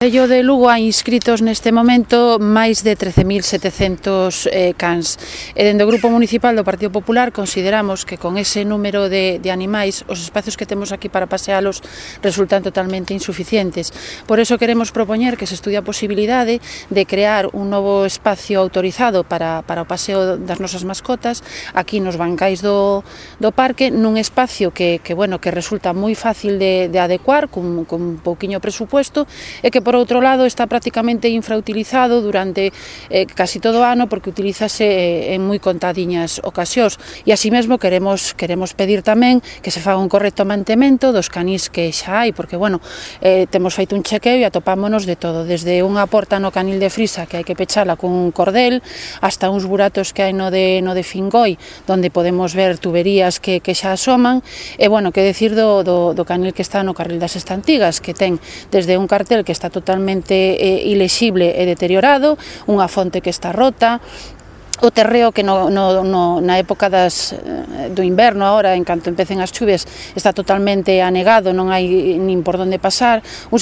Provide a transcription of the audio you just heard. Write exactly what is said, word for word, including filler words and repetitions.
No Concello de Lugo hai inscritos neste momento máis de trece mil setecentos eh, cans e dende o Grupo Municipal do Partido Popular consideramos que con ese número de, de animais os espacios que temos aquí para pasealos resultan totalmente insuficientes. Por eso queremos propoñer que se estudie a posibilidade de crear un novo espacio autorizado para, para o paseo das nosas mascotas aquí nos bancais do, do parque, nun espacio que, que, bueno, que resulta moi fácil de, de adecuar con, con un pouquiño presupuesto e que por outro lado está prácticamente infrautilizado durante eh, casi todo o ano porque utilízase eh, en moi contadiñas ocasións e así mesmo queremos queremos pedir tamén que se faga un correcto mantemento dos canís que xa hai porque bueno, eh, temos feito un chequeo e atopámonos de todo, desde unha porta no canil de Frisa que hai que pechala con un cordel hasta uns buratos que hai no de, no de Fingoi donde podemos ver tuberías que, que xa asoman e bueno, que decir do, do, do canil que está no carril das Estantigas que ten desde un cartel que está totalmente eh, ilexible e deteriorado, unha fonte que está rota, o terreo que no, no, no, na época das, do inverno agora, en canto empecen as chuves, está totalmente anegado, non hai nin por onde pasar, un